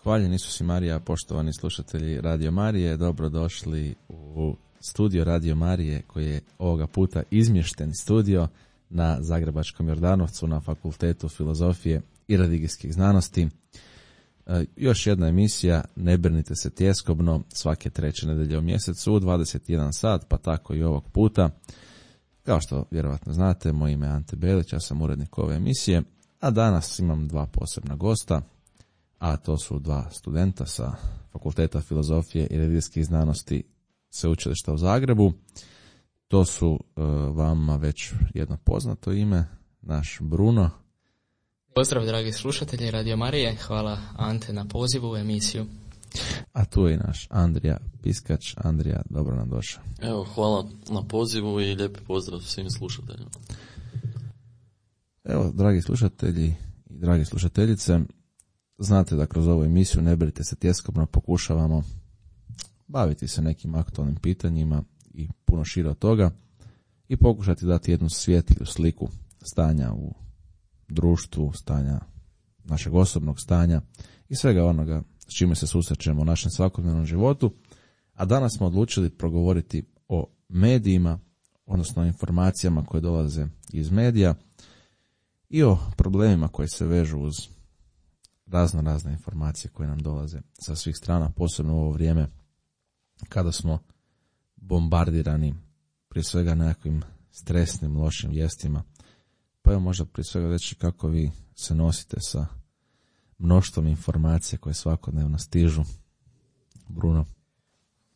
Hvaljen Isus i Marija, poštovani slušatelji Radio Marije, dobrodošli u studio Radio Marije koji je ovoga puta izmješten studio na Zagrebačkom Jordanovcu na Fakultetu filozofije i religijskih znanosti. Još jedna emisija, ne brinite se tjeskobno, svake treće nedelje u mjesecu u 21 sat, pa tako i ovog puta. Kao što vjerovatno znate, moje ime je Ante Belić, ja sam urednik ove emisije, a danas imam dva posebna gosta, a to su dva studenta sa Fakulteta filozofije i religijskih znanosti Sveučilišta u Zagrebu. To su vama već jedno poznato ime, naš Bruno. Pozdrav dragi slušatelji Radio Marije, hvala Ante na pozivu u emisiju. A tu je i naš Andrija Piskač. Andrija, dobro nam došao. Evo, hvala na pozivu i lijepi pozdrav svim slušateljima. Evo, dragi slušatelji i dragi slušateljice, znate da kroz ovu emisiju Ne brinite se tjeskobno pokušavamo baviti se nekim aktualnim pitanjima i puno šire od toga i pokušati dati jednu svjetliju sliku stanja u društvu, stanja našeg osobnog stanja i svega onoga s čime se susrećemo u našem svakodnevnom životu. A danas smo odlučili progovoriti o medijima, odnosno o informacijama koje dolaze iz medija i o problemima koji se vežu uz razne informacije koje nam dolaze sa svih strana, posebno u ovo vrijeme kada smo bombardirani prije svega nekakvim stresnim, lošim vijestima. Pa evo možda prije svega reći kako vi se nosite sa mnoštvom informacija koje svakodnevno stižu. Bruno?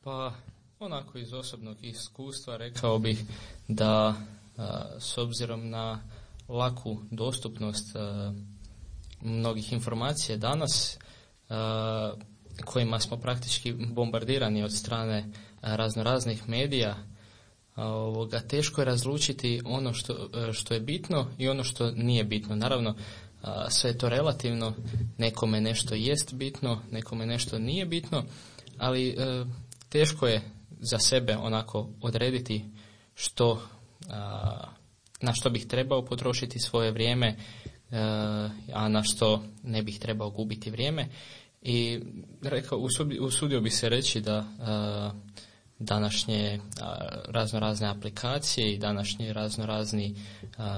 Pa onako iz osobnog iskustva rekao bih da s obzirom na laku dostupnost mnogih informacija danas kojima smo praktički bombardirani od strane raznoraznih medija, teško je razlučiti ono što je bitno i ono što nije bitno. Naravno, sve je to relativno, nekome nešto jest bitno, nekome nešto nije bitno, ali teško je za sebe onako odrediti na što bih trebao potrošiti svoje vrijeme, a na što ne bih trebao gubiti vrijeme. I usudio bih se reći da današnje raznorazne aplikacije i današnji raznorazni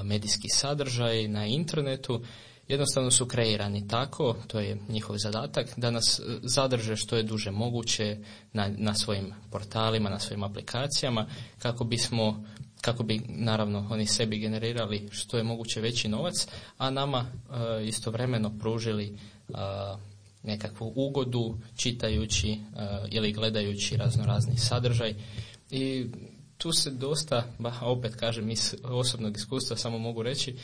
medijski sadržaj na internetu jednostavno su kreirani tako, to je njihov zadatak, da nas zadrže što je duže moguće na svojim portalima, na svojim aplikacijama, kako bi naravno oni sebi generirali što je moguće veći novac, a nama istovremeno pružili nekakvu ugodu čitajući ili gledajući raznorazni sadržaj. I tu se dosta, opet kažem iz osobnog iskustva samo mogu reći,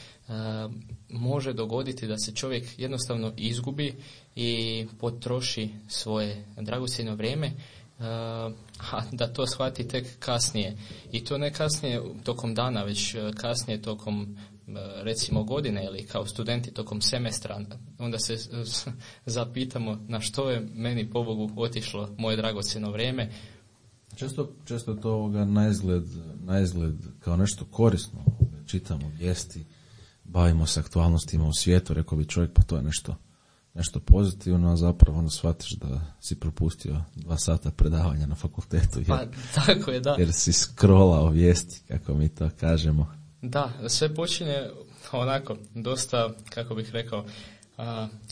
može dogoditi da se čovjek jednostavno izgubi i potroši svoje dragocjeno vrijeme, a da to shvati tek kasnije. I to ne kasnije tokom dana, već kasnije tokom recimo godine ili kao studenti tokom semestra. Onda se zapitamo na što je meni pobogu otišlo moje dragocjeno vrijeme. Često je to na izgled kao nešto korisno. Čitamo vijesti, bavimo se aktualnostima u svijetu, rekao bi čovjek pa to je nešto pozitivno, a zapravo onda shvatiš da si propustio 2 sata predavanja na fakultetu tako je, da. Jer si scrollao vijesti, kako mi to kažemo. Da, sve počinje onako dosta, kako bih rekao,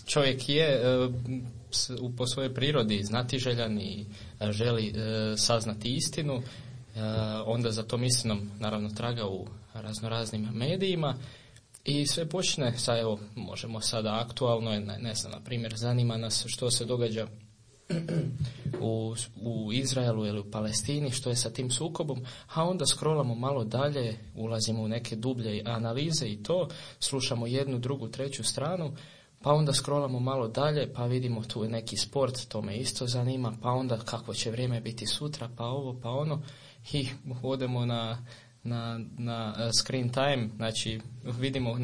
čovjek je po svojoj prirodi znatiželjan i želi saznati istinu, onda za tom istinom naravno traga u raznoraznim medijima i sve počne sa, evo, možemo sada aktualno, ne znam, na primjer, zanima nas što se događa u Izraelu ili u Palestini, što je sa tim sukobom, a onda scrollamo malo dalje, ulazimo u neke dublje analize i to, slušamo jednu, drugu, treću stranu, pa onda scrollamo malo dalje, pa vidimo tu je neki sport, to me isto zanima, pa onda kako će vrijeme biti sutra, pa ovo, pa ono, i odemo na screen time, znači vidimo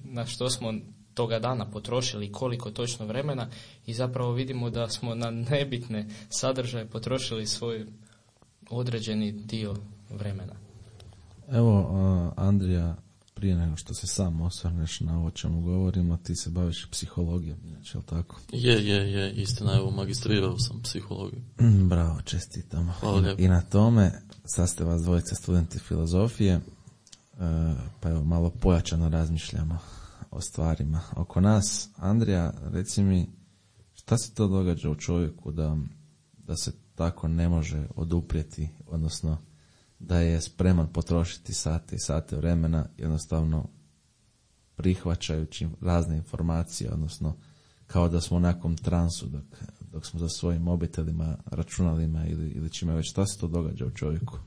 na što smo toga dana potrošili, koliko točno vremena i zapravo vidimo da smo na nebitne sadržaje potrošili svoj određeni dio vremena. Evo, Andrija, prije nego što se sam osvrneš na ovo čemu govorimo, ti se baviš psihologijom, inače, je li tako? Je, istina, evo, magistrirao sam psihologiju. Bravo, čestitam. Hvala. I na tome, sad ste vas dvojice studenti filozofije, pa evo, malo pojačano razmišljamo o stvarima oko nas. Andrija, reci mi, šta se to događa u čovjeku da se tako ne može oduprijeti, odnosno da je spreman potrošiti sate i sate vremena, jednostavno prihvaćajući razne informacije, odnosno kao da smo u nekom transu dok smo za svojim mobitelima, računalima ili čime već. Šta se to događa u čovjeku?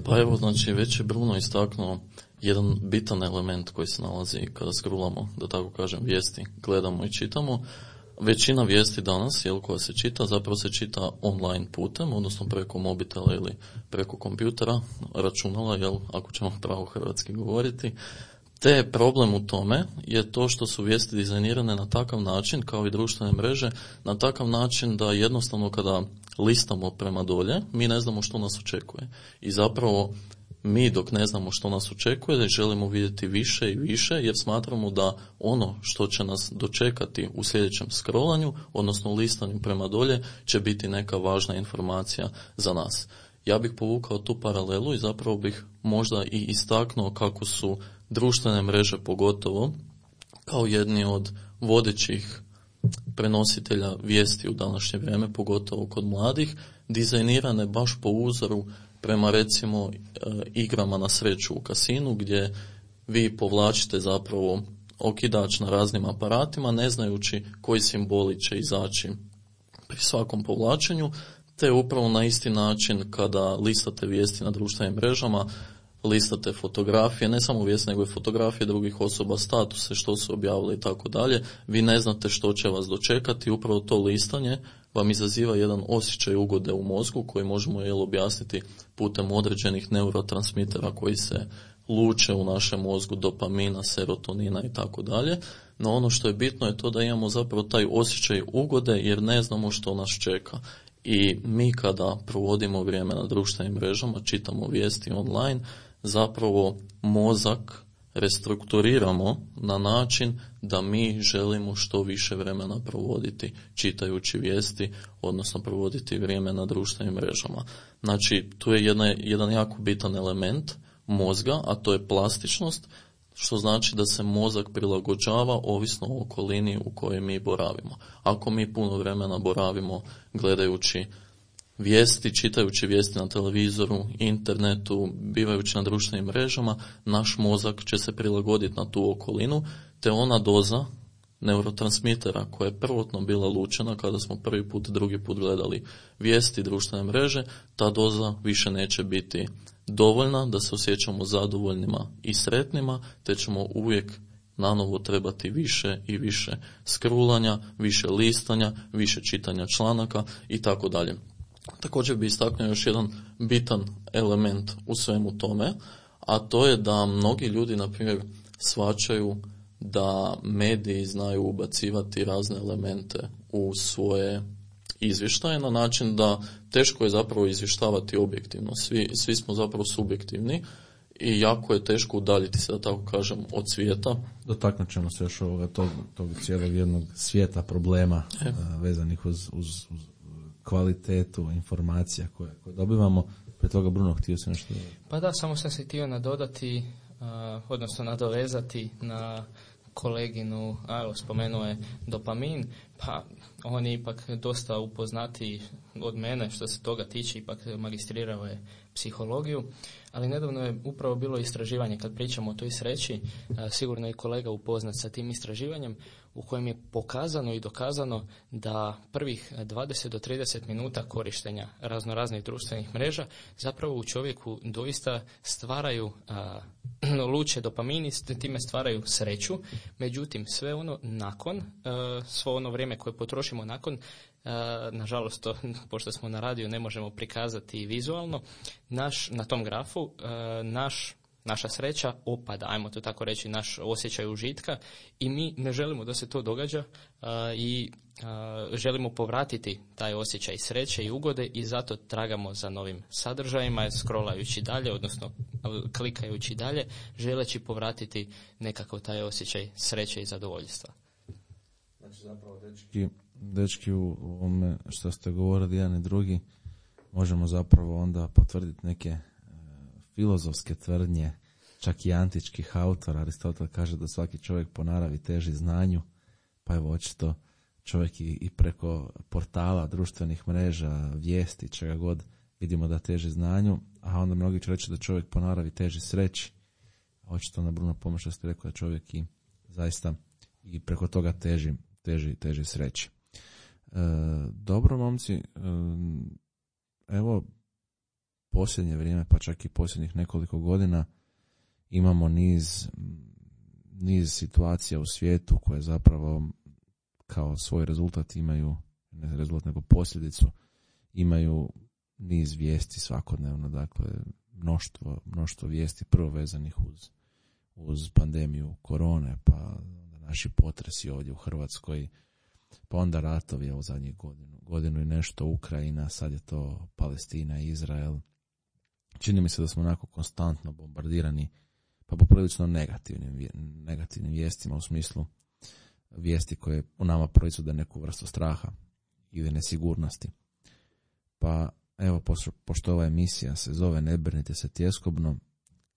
Pa evo, znači, već je Bruno istaknuo jedan bitan element koji se nalazi kada scrollamo, da tako kažem, vijesti, gledamo i čitamo. Većina vijesti danas, koja se čita, zapravo se čita online putem, odnosno preko mobitela ili preko kompjutera, računala, ako ćemo pravo hrvatski govoriti. Te problem u tome je to što su vijesti dizajnirane na takav način, kao i društvene mreže, na takav način da jednostavno kada listamo prema dolje, mi ne znamo što nas očekuje. I zapravo mi dok ne znamo što nas očekuje, želimo vidjeti više i više, jer smatramo da ono što će nas dočekati u sljedećem scrollanju, odnosno listanju prema dolje, će biti neka važna informacija za nas. Ja bih povukao tu paralelu i zapravo bih možda i istaknuo kako su društvene mreže, pogotovo kao jedni od vodećih prenositelja vijesti u današnje vrijeme, pogotovo kod mladih, dizajnirane baš po uzoru prema, recimo, igrama na sreću u kasinu, gdje vi povlačite zapravo okidač na raznim aparatima, ne znajući koji simboli će izaći pri svakom povlačenju, te upravo na isti način kada listate vijesti na društvenim mrežama, listate fotografije, ne samo vijesti, nego i fotografije drugih osoba, statuse, što su objavili i tako dalje, vi ne znate što će vas dočekati, upravo to listanje vam izaziva jedan osjećaj ugode u mozgu koji možemo objasniti putem određenih neurotransmitera koji se luče u našem mozgu, dopamina, serotonina i tako dalje. No ono što je bitno je to da imamo zapravo taj osjećaj ugode jer ne znamo što nas čeka. I mi kada provodimo vrijeme na društvenim mrežama, čitamo vijesti online, zapravo mozak restrukturiramo na način da mi želimo što više vremena provoditi čitajući vijesti, odnosno provoditi vrijeme na društvenim mrežama. Znači, tu je jedan jako bitan element mozga, a to je plastičnost, što znači da se mozak prilagođava ovisno o okolini u kojoj mi boravimo. Ako mi puno vremena boravimo gledajući vijesti, čitajući vijesti na televizoru, internetu, bivajući na društvenim mrežama, naš mozak će se prilagoditi na tu okolinu, te ona doza neurotransmitera koja je prvotno bila lučena kada smo prvi put, drugi put gledali vijesti, društvene mreže, ta doza više neće biti dovoljna da se osjećamo zadovoljnima i sretnima, te ćemo uvijek nanovo trebati više i više scrollanja, više listanja, više čitanja članaka i tako dalje. Također bi istaknuo još jedan bitan element u svemu tome, a to je da mnogi ljudi, na primjer, shvaćaju da mediji znaju ubacivati razne elemente u svoje izvještaje na način da teško je zapravo izvještavati objektivno. Svi smo zapravo subjektivni i jako je teško udaljiti se, da tako kažem, od svijeta. Dotaknut ćemo se još tog cijelog jednog svijeta problema vezanih uz kvalitetu informacija koje dobivamo. Prije toga, Bruno, htio se nešto... Pa da, samo sam se htio nadodati, odnosno nadovezati na koleginu, spomenuo je dopamin, pa on je ipak dosta upoznatiji od mene što se toga tiče, ipak magistrirao je psihologiju, ali nedavno je upravo bilo istraživanje, kad pričamo o toj sreći, sigurno je kolega upoznat sa tim istraživanjem, u kojem je pokazano i dokazano da prvih 20 do 30 minuta korištenja raznoraznih društvenih mreža zapravo u čovjeku doista stvaraju luče dopamin, time stvaraju sreću, međutim sve ono nakon, svo ono vrijeme koje potrošimo nakon, nažalost, pošto smo na radiju ne možemo prikazati vizualno, na tom grafu naša sreća opada, ajmo to tako reći, naš osjećaj užitka, i mi ne želimo da se to događa i želimo povratiti taj osjećaj sreće i ugode i zato tragamo za novim sadržajima, scrollajući dalje, odnosno klikajući dalje, želeći povratiti nekako taj osjećaj sreće i zadovoljstva. Znači zapravo dečki u ovome što ste govorili jedan i drugi, možemo zapravo onda potvrditi neke filozofske tvrdnje, čak i antičkih autora. Aristotel kaže da svaki čovjek po naravi teži znanju, pa evo očito čovjek i preko portala, društvenih mreža, vijesti, čega god, vidimo da teži znanju, a onda mnogi će reći da čovjek po naravi teži sreći. Očito na Bruno Pomaša ste rekao da čovjek i zaista i preko toga teži sreći. Dobro, momci, evo posljednje vrijeme, pa čak i posljednjih nekoliko godina imamo niz situacija u svijetu koje zapravo kao svoj rezultat imaju, ne rezultat nego posljedicu, imaju niz vijesti svakodnevno, dakle mnoštvo vijesti prvo vezanih uz pandemiju korone, pa naši potresi ovdje u Hrvatskoj, pa onda ratovi u zadnjih godinu i nešto, Ukrajina, sad je to Palestina i Izrael. Čini mi se da smo onako konstantno bombardirani pa poprilično negativnim vijestima, u smislu vijesti koje u nama proizvode neku vrstu straha ili nesigurnosti. Pa evo, pošto ova emisija se zove Ne brinite se tjeskobno,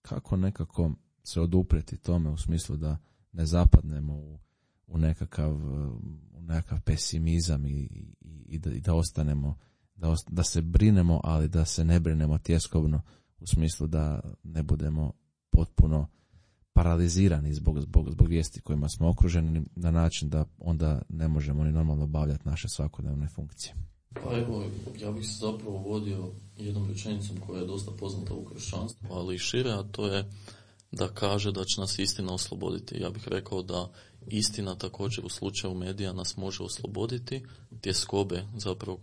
kako nekako se oduprijeti tome u smislu da ne zapadnemo u nekakav pesimizam i da ostanemo, da se brinemo, ali da se ne brinemo tjeskobno, u smislu da ne budemo potpuno paralizirani zbog vijesti kojima smo okruženi, na način da onda ne možemo ni normalno obavljati naše svakodnevne funkcije. Pa evo, ja bih se zapravo vodio jednom rečenicom koja je dosta poznata u kršćanstvu, ali i šire, a to je da kaže da će nas istina osloboditi. Ja bih rekao da istina također u slučaju medija nas može osloboditi, tjeskobe zapravo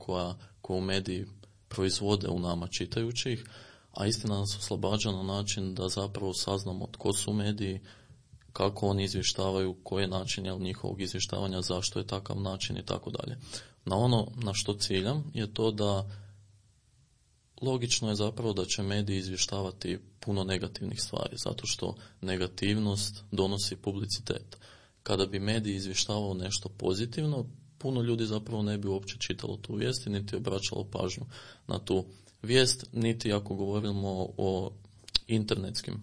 koju mediji proizvode u nama čitajući ih, a istina nas oslobađa na način da zapravo saznamo tko su mediji, kako oni izvještavaju, koji je način njihovog izvještavanja, zašto je takav način i tako dalje. Na ono na što ciljam je to da logično je zapravo da će mediji izvještavati puno negativnih stvari, zato što negativnost donosi publicitet. Kada bi mediji izvještavao nešto pozitivno, puno ljudi zapravo ne bi uopće čitalo tu vijest i niti obraćalo pažnju na tu vijest, niti ako govorimo o internetskim,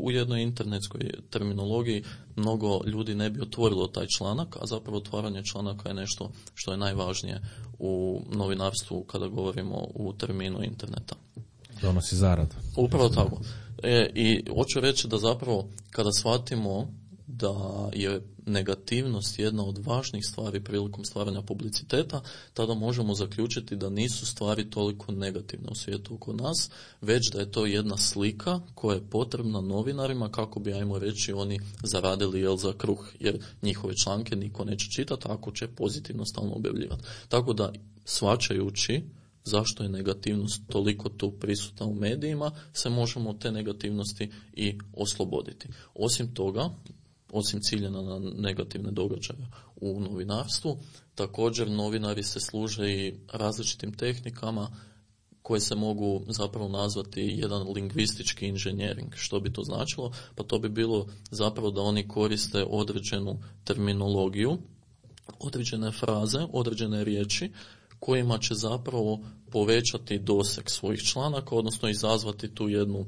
u jednoj internetskoj terminologiji mnogo ljudi ne bi otvorilo taj članak, a zapravo otvaranje članaka je nešto što je najvažnije u novinarstvu kada govorimo u terminu interneta. Donosi zaradu. Upravo tako. I hoću reći da zapravo kada shvatimo da je negativnost jedna od važnih stvari prilikom stvaranja publiciteta, tada možemo zaključiti da nisu stvari toliko negativne u svijetu oko nas, već da je to jedna slika koja je potrebna novinarima kako bi, ajmo reći, oni zaradili za kruh, jer njihove članke niko neće čitati ako će pozitivno stalno objavljivati. Tako da, shvaćajući zašto je negativnost toliko tu prisutna u medijima, se možemo te negativnosti i osloboditi. Osim toga, osim ciljena na negativne događaje u novinarstvu, također novinari se služe i različitim tehnikama koje se mogu zapravo nazvati jedan lingvistički inženjering. Što bi to značilo? Pa to bi bilo zapravo da oni koriste određenu terminologiju, određene fraze, određene riječi kojima će zapravo povećati doseg svojih članaka, odnosno izazvati tu jednu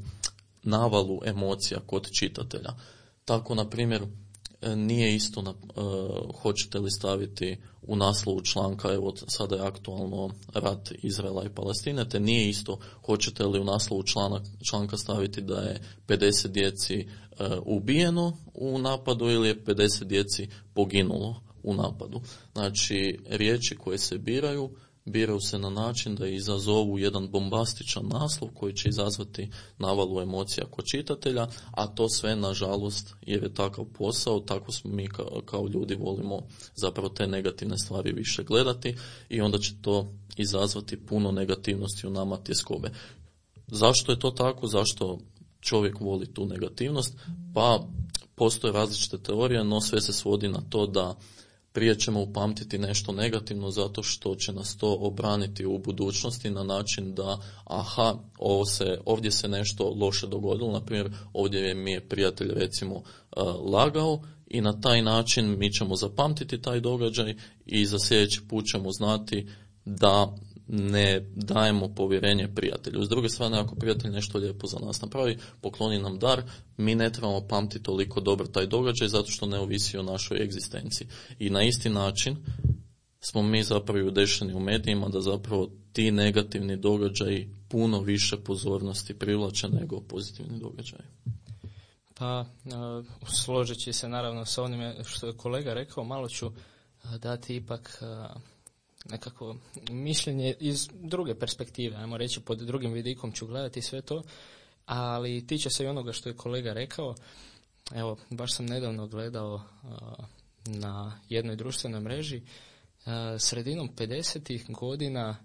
navalu emocija kod čitatelja. Tako, na primjer, nije isto hoćete li staviti u naslovu članka, evo sada je aktualno rat Izraela i Palestine, te nije isto hoćete li u naslovu članka staviti da je 50 djeci ubijeno u napadu ili je 50 djeci poginulo u napadu. Znači, riječi koje se biraju se na način da izazovu jedan bombastičan naslov koji će izazvati navalu emocija kod čitatelja, a to sve, nažalost, jer je takav posao, tako smo mi kao ljudi volimo zapravo te negativne stvari više gledati i onda će to izazvati puno negativnosti u nama tjeskobe. Zašto je to tako? Zašto čovjek voli tu negativnost? Pa postoje različite teorije, no sve se svodi na to da prije ćemo upamtiti nešto negativno zato što će nas to obraniti u budućnosti na način da ovdje se nešto loše dogodilo, na primjer ovdje mi je prijatelj recimo lagao i na taj način mi ćemo zapamtiti taj događaj i za sljedeći put ćemo znati da ne dajemo povjerenje prijatelju. S druge strane, ako prijatelj nešto lijepo za nas napravi, pokloni nam dar, mi ne trebamo pamtiti toliko dobro taj događaj zato što ne ovisi o našoj egzistenciji. I na isti način smo mi zapravo udešeni u medijima da zapravo ti negativni događaji puno više pozornosti privlače nego pozitivni događaji. Pa, složeći se naravno sa onime što je kolega rekao, malo ću dati ipak nekako mišljenje iz druge perspektive, ajmo reći pod drugim vidikom ću gledati sve to, ali tiče se i onoga što je kolega rekao. Evo, baš sam nedavno gledao na jednoj društvenoj mreži sredinom 50-ih godina,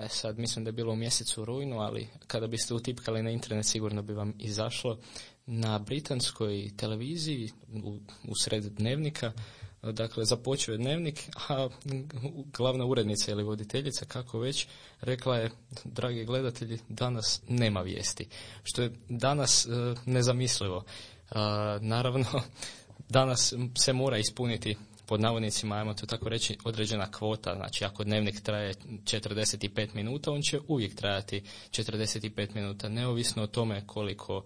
sad mislim da je bilo u mjesecu rujnu, ali kada biste utipkali na internet sigurno bi vam izašlo, na britanskoj televiziji u sred dnevnika, dakle započeo je dnevnik, a glavna urednica ili voditeljica, kako već, rekla je: dragi gledatelji, danas nema vijesti, što je danas nezamislivo. Naravno, danas se mora ispuniti, pod navodnicima, ajmo to tako reći, određena kvota. Znači, ako dnevnik traje 45 minuta, on će uvijek trajati 45 minuta. Neovisno o tome koliko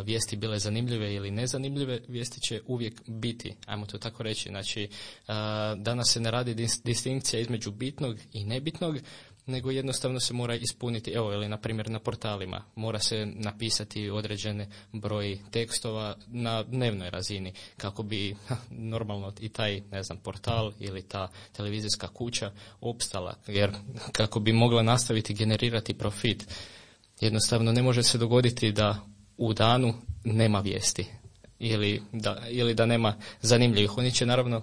vijesti bile zanimljive ili nezanimljive, vijesti će uvijek biti, ajmo to tako reći. Znači, danas se ne radi distinkcija između bitnog i nebitnog, nego jednostavno se mora ispuniti, evo, ili na primjer na portalima, mora se napisati određene broj tekstova na dnevnoj razini, kako bi normalno i taj, ne znam, portal ili ta televizijska kuća opstala, jer kako bi mogla nastaviti generirati profit, jednostavno ne može se dogoditi da u danu nema vijesti ili da nema zanimljivih. Oni će naravno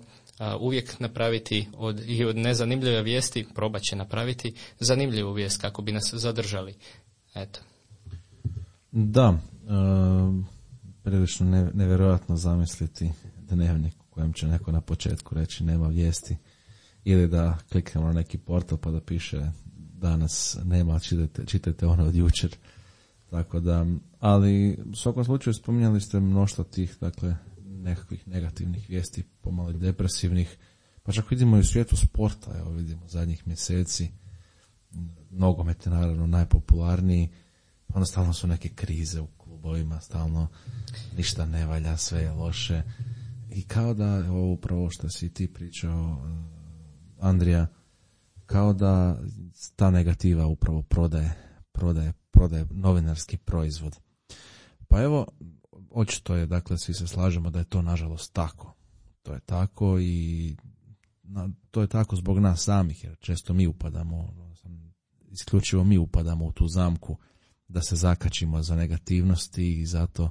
uvijek napraviti od nezanimljive vijesti, probat će napraviti zanimljivu vijest kako bi nas zadržali. Eto. Da, prilično nevjerojatno zamisliti dnevnik u kojem će neko na početku reći nema vijesti, ili da kliknemo na neki portal pa da piše danas nema, čitajte ono od jučer. Tako da, ali u svakom slučaju spominjali ste mnoštvo tih, dakle, nekakvih negativnih vijesti, pomalo depresivnih, pa čak vidimo i u svijetu sporta, evo vidimo zadnjih mjeseci, nogomet je naravno najpopularniji, pa onda stalno su neke krize u klubovima, stalno ništa ne valja, sve je loše, i kao da, evo upravo što si ti pričao, Andrija, kao da ta negativa upravo prodaje novinarski proizvod. Pa evo, očito je, dakle, svi se slažemo da je to nažalost tako. To je tako i to je tako zbog nas samih, jer često isključivo mi upadamo u tu zamku da se zakačimo za negativnosti i zato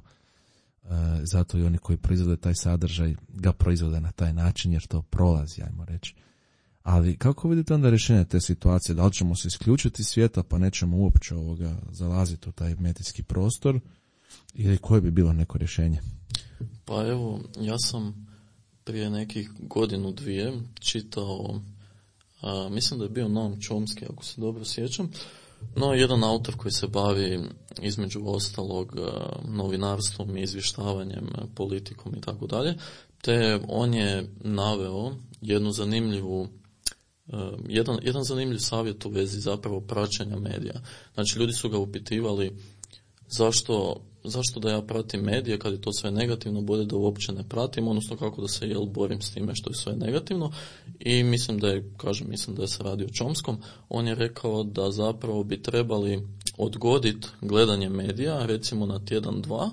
i oni koji proizvode taj sadržaj ga proizvode na taj način, jer to prolazi, ajmo reći. Ali kako vidite onda rješenje te situacije? Da li ćemo se isključiti svijeta pa nećemo uopće zalaziti u taj medijski prostor, ili koje bi bilo neko rješenje? Pa evo, ja sam prije nekih godinu, dvije čitao, mislim da je bio Noam Chomsky, ako se dobro sjećam, no jedan autor koji se bavi između ostalog novinarstvom i izvještavanjem, politikom i tako dalje, te on je naveo jedan zanimljiv savjet u vezi zapravo praćenja medija. Znači, ljudi su ga upitivali zašto da ja pratim medije kad je to sve negativno, bolje da uopće ne pratim, odnosno kako da se borim s time što je sve negativno. I mislim da se radi o Chomskom. On je rekao da zapravo bi trebali odgoditi gledanje medija, recimo na tjedan, dva,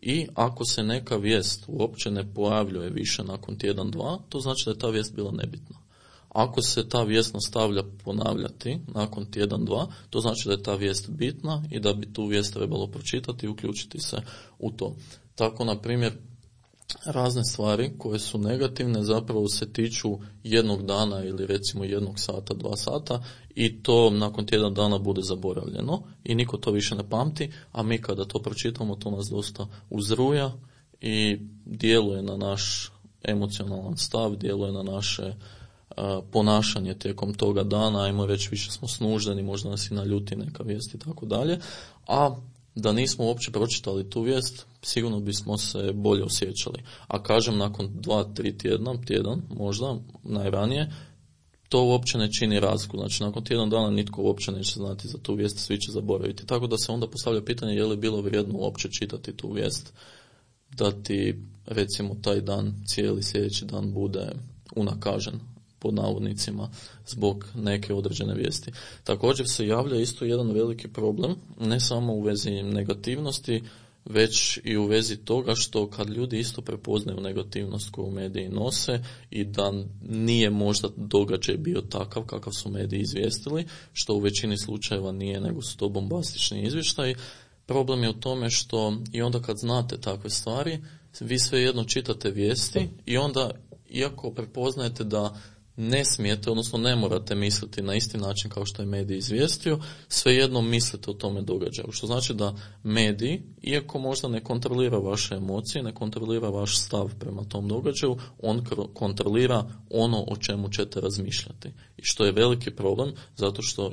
i ako se neka vijest uopće ne pojavljuje više nakon tjedan, dva, to znači da je ta vijest bila nebitna. Ako se ta vijest nastavlja ponavljati nakon tjedan, dva, to znači da je ta vijest bitna i da bi tu vijest trebalo pročitati i uključiti se u to. Tako, na primjer, razne stvari koje su negativne zapravo se tiču jednog dana ili recimo 1 sata, 2 sata, i to nakon tjedan dana bude zaboravljeno i niko to više ne pamti, a mi kada to pročitamo, to nas dosta uzruja i djeluje na naš emocionalan stav, djeluje na naše ponašanje tijekom toga dana, ajmo reći više smo snuždeni, možda nas i naljuti neka vijest i tako dalje, a da nismo uopće pročitali tu vijest, sigurno bismo se bolje osjećali. A kažem, nakon 2-3 tjedan, možda najranije, to uopće ne čini razliku. Znači, nakon tjedan dana nitko uopće neće znati za tu vijest, svi će zaboraviti. Tako da se onda postavlja pitanje je li bilo vrijedno uopće čitati tu vijest, da ti, recimo, taj dan, cijeli sljedeći dan bude unakažen, pod navodnicima, zbog neke određene vijesti. Također se javlja isto jedan veliki problem, ne samo u vezi negativnosti, već i u vezi toga što kad ljudi isto prepoznaju negativnost koju mediji nose i da nije možda događaj bio takav kakav su mediji izvijestili, što u većini slučajeva nije, nego su to bombastični izvještaji, problem je u tome što i onda kad znate takve stvari, vi svejedno čitate vijesti i onda, iako prepoznajete da ne smijete, odnosno ne morate misliti na isti način kao što je medij izvijestio, svejedno mislite o tome događaju. Što znači da medij, iako možda ne kontrolira vaše emocije, ne kontrolira vaš stav prema tom događaju, on kontrolira ono o čemu ćete razmišljati. I što je veliki problem, zato što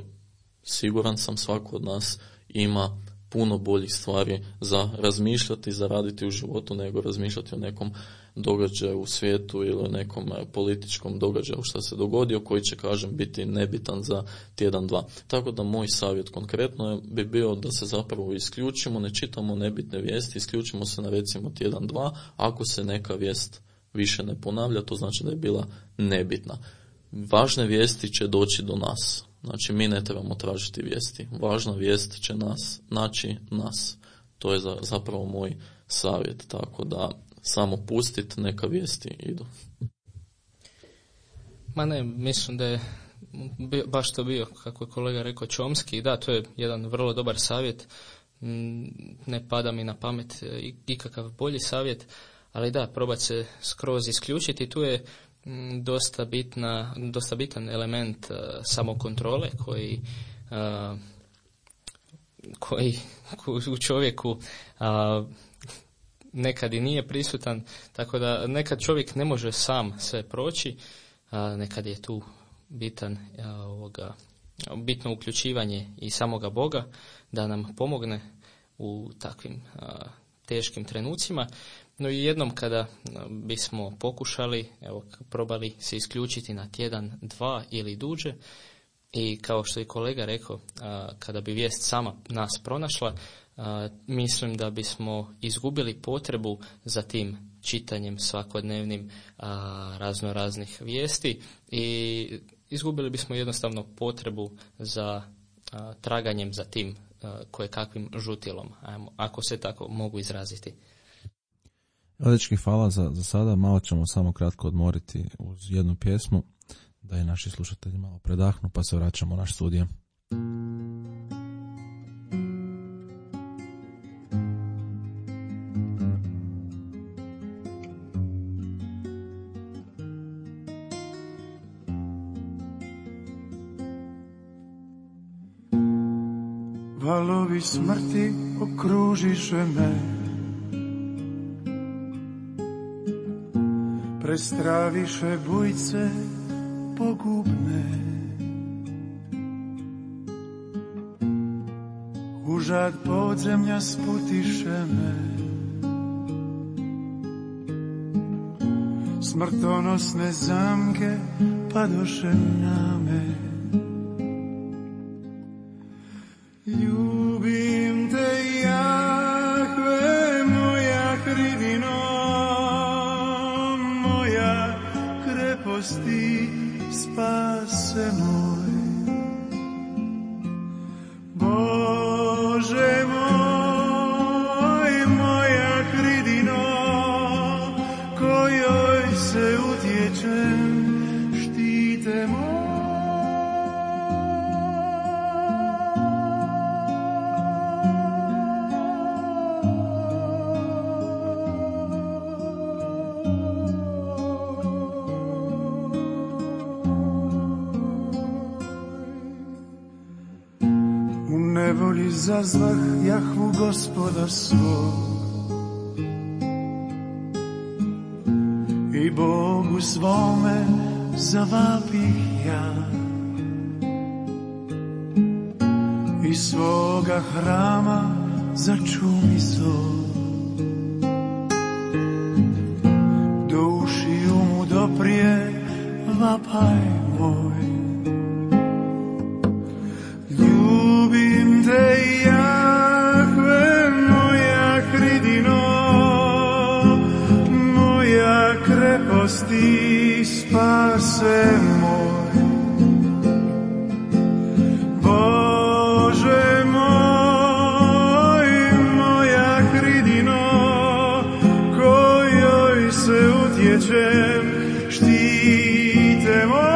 siguran sam svako od nas ima puno boljih stvari za razmišljati, za raditi u životu, nego razmišljati o nekom događaju u svijetu ili o nekom političkom događaju što se dogodio, koji će, kažem, biti nebitan za tjedan, dva. Tako da moj savjet konkretno bi bio da se zapravo isključimo, ne čitamo nebitne vijesti, isključimo se na recimo tjedan, dva, ako se neka vijest više ne ponavlja, to znači da je bila nebitna. Važne vijesti će doći do nas. Znači, mi ne trebamo tražiti vijesti. Važna vijest će naći nas. To je zapravo moj savjet. Tako da samo pustiti, neka vijesti idu. Ma ne, mislim da je baš to bio, kako je kolega rekao, Chomsky. Da, to je jedan vrlo dobar savjet. Ne pada mi na pamet ikakav bolji savjet, ali da, probati se skroz isključiti. Tu je dosta bitan element samokontrole koji u čovjeku nekad i nije prisutan, tako da nekad čovjek ne može sam sve proći, nekad je tu bitno uključivanje i samoga Boga da nam pomogne u takvim teškim trenucima. No i jednom kada bismo pokušali, probali se isključiti na tjedan, dva ili duže, i kao što je kolega rekao, kada bi vijest sama nas pronašla, mislim da bismo izgubili potrebu za tim čitanjem svakodnevnim raznoraznih vijesti i izgubili bismo jednostavno potrebu za traganjem za tim kojekakvim žutilom, ako se tako mogu izraziti. Dečki, hvala za sada. Malo ćemo samo kratko odmoriti uz jednu pjesmu, da i naši slušatelji malo predahnu, pa se vraćamo u naš studio. Valovi smrti okružiše me, prestraviše bujce pogubne. Užad podzemlja sputiše me, smrtonosne zamke padoše na me. Ljubim te, Jahve, moja hridino, moja kreposti, spase moj. Bože moj, moja hridino, kojoj se utječem, štite moj. Nevoli zazvah Jahvu Gospoda svog i Bogu svome zavapih ja iz svoga hrama začumi zor. Do ušiju mu doprije vapaj moj. Ljubim te Jahve, moja hridino, moja kreposti, spase moj. Bože moj, moja hridino, kojoj se utječem, štite moj.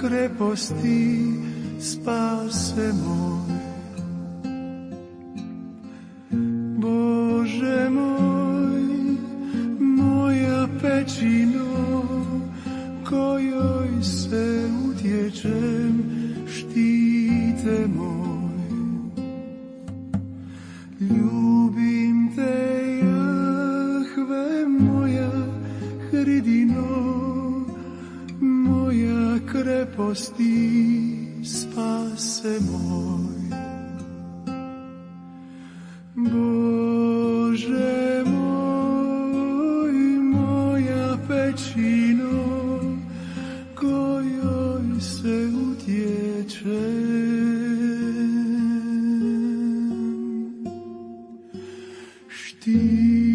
Kreposti, spase moj. Bože moj, moja pećino, kojoj se utječem, štite moj. Ljubim te Jahve, moja hridino, moja kreposti, spase moj. Bože moj, moja pećino, kojoj se utječem, štite.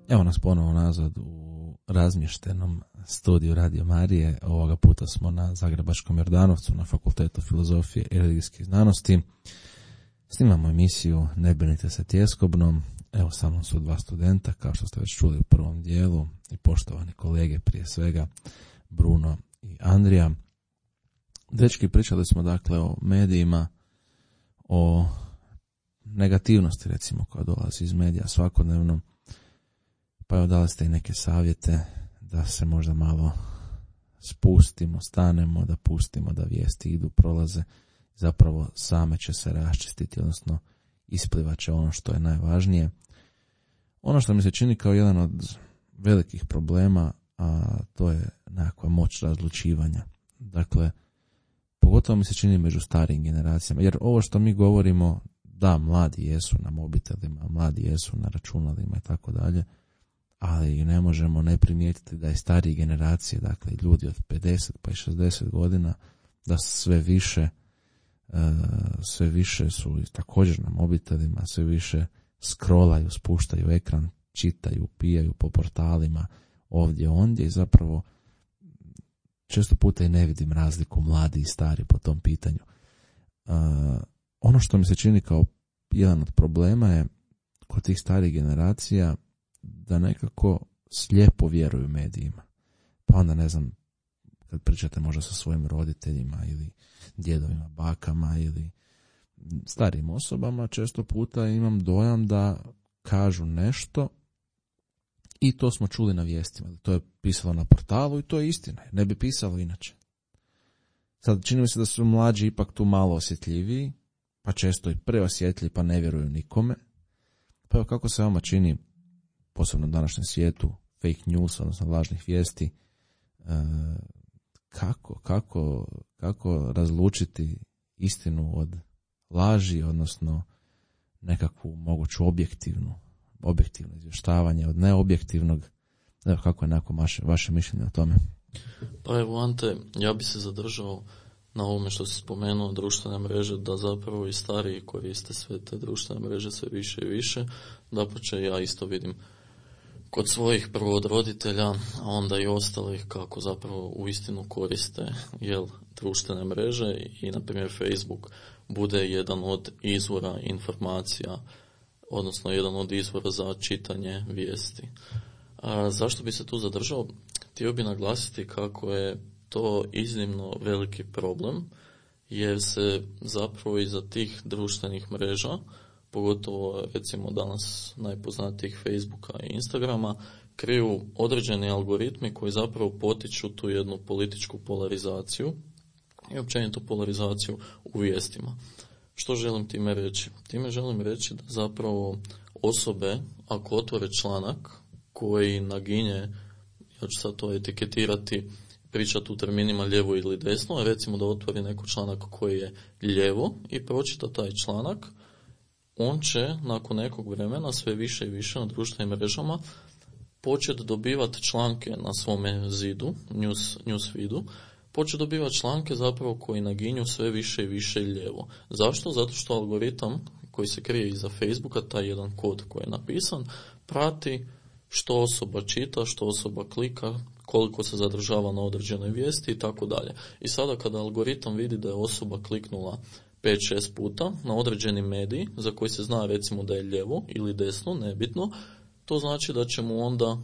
Evo nas ponovo nazad u razmještenom studiju Radio Marije. Ovoga puta smo na Zagrebačkom Jordanovcu na Fakultetu filozofije i religijskih znanosti. Snimamo emisiju Ne brinite se tjeskobnom. Evo sa mnom su dva studenta, kao što ste već čuli u prvom dijelu, i poštovani kolege, prije svega Bruno i Andrija. Dečki, pričali smo dakle o medijima, o negativnosti recimo koja dolazi iz medija svakodnevno. Pa evo, dali ste i neke savjete da se možda malo spustimo, stanemo, da pustimo da vijesti idu, prolaze. Zapravo same će se raščistiti, odnosno isplivat će ono što je najvažnije. Ono što mi se čini kao jedan od velikih problema, a to je nekakva moć razlučivanja. Dakle, pogotovo mi se čini među starijim generacijama, jer ovo što mi govorimo, da, mladi jesu na mobitelima, mladi jesu na računalima i tako dalje, ali ne možemo ne primijetiti da je starije generacije, dakle ljudi od 50 pa i 60 godina, da sve više su također na mobitelima, sve više scrollaju, spuštaju ekran, čitaju, pijaju po portalima ovdje ondje i zapravo često puta i ne vidim razliku mladi i stari po tom pitanju. Ono što mi se čini kao jedan od problema je kod tih starijih generacija da nekako slijepo vjeruju medijima. Pa onda, ne znam, kad pričate možda sa svojim roditeljima ili djedovima, bakama ili starijim osobama, često puta imam dojam da kažu nešto i to smo čuli na vijestima. To je pisalo na portalu i to je istina. Ne bi pisalo inače. Sad čini mi se da su mlađi ipak tu malo osjetljiviji, pa često i preosjetljivi, pa ne vjeruju nikome. Pa evo, kako se vama čini, posebno u današnjem svijetu, fake news, odnosno lažnih vijesti, kako razlučiti istinu od laži, odnosno nekakvu moguću objektivno izvještavanje od neobjektivnog. Evo, kako je nakon vaše mišljenje o tome? Pa evo, Ante, ja bi se zadržao na ovome što si spomenuo, društvene mreže, da zapravo i stariji koriste sve te društvene mreže sve više i više. Dapače, ja isto vidim kod svojih prvo od roditelja, a onda i ostalih kako zapravo uistinu koriste društvene mreže i na primjer Facebook bude jedan od izvora informacija odnosno jedan od izvora za čitanje vijesti. Zašto bi se tu zadržao? Htio bi naglasiti kako je to iznimno veliki problem, jer se zapravo iza tih društvenih mreža, pogotovo recimo danas najpoznatijih Facebooka i Instagrama, kriju određeni algoritmi koji zapravo potiču tu jednu političku polarizaciju i općenito polarizaciju u vijestima. Što želim time reći? Time želim reći da zapravo osobe, ako otvore članak koji naginje, ja ću sad to etiketirati, pričati u terminima lijevo ili desno, a recimo da otvori neko članak koji je lijevo i pročita taj članak, on će nakon nekog vremena sve više i više na društvenim mrežama početi dobivati članke na svome zidu, news feedu, početi dobivati članke zapravo koji naginju sve više i više lijevo. Zašto? Zato što algoritam koji se krije iza Facebooka, taj jedan kod koji je napisan, prati što osoba čita, što osoba klika, koliko se zadržava na određenoj vijesti i tako dalje. I sada kada algoritam vidi da je osoba kliknula 5-6 puta na određeni medij za koji se zna recimo da je lijevo ili desno, nebitno, to znači da će mu onda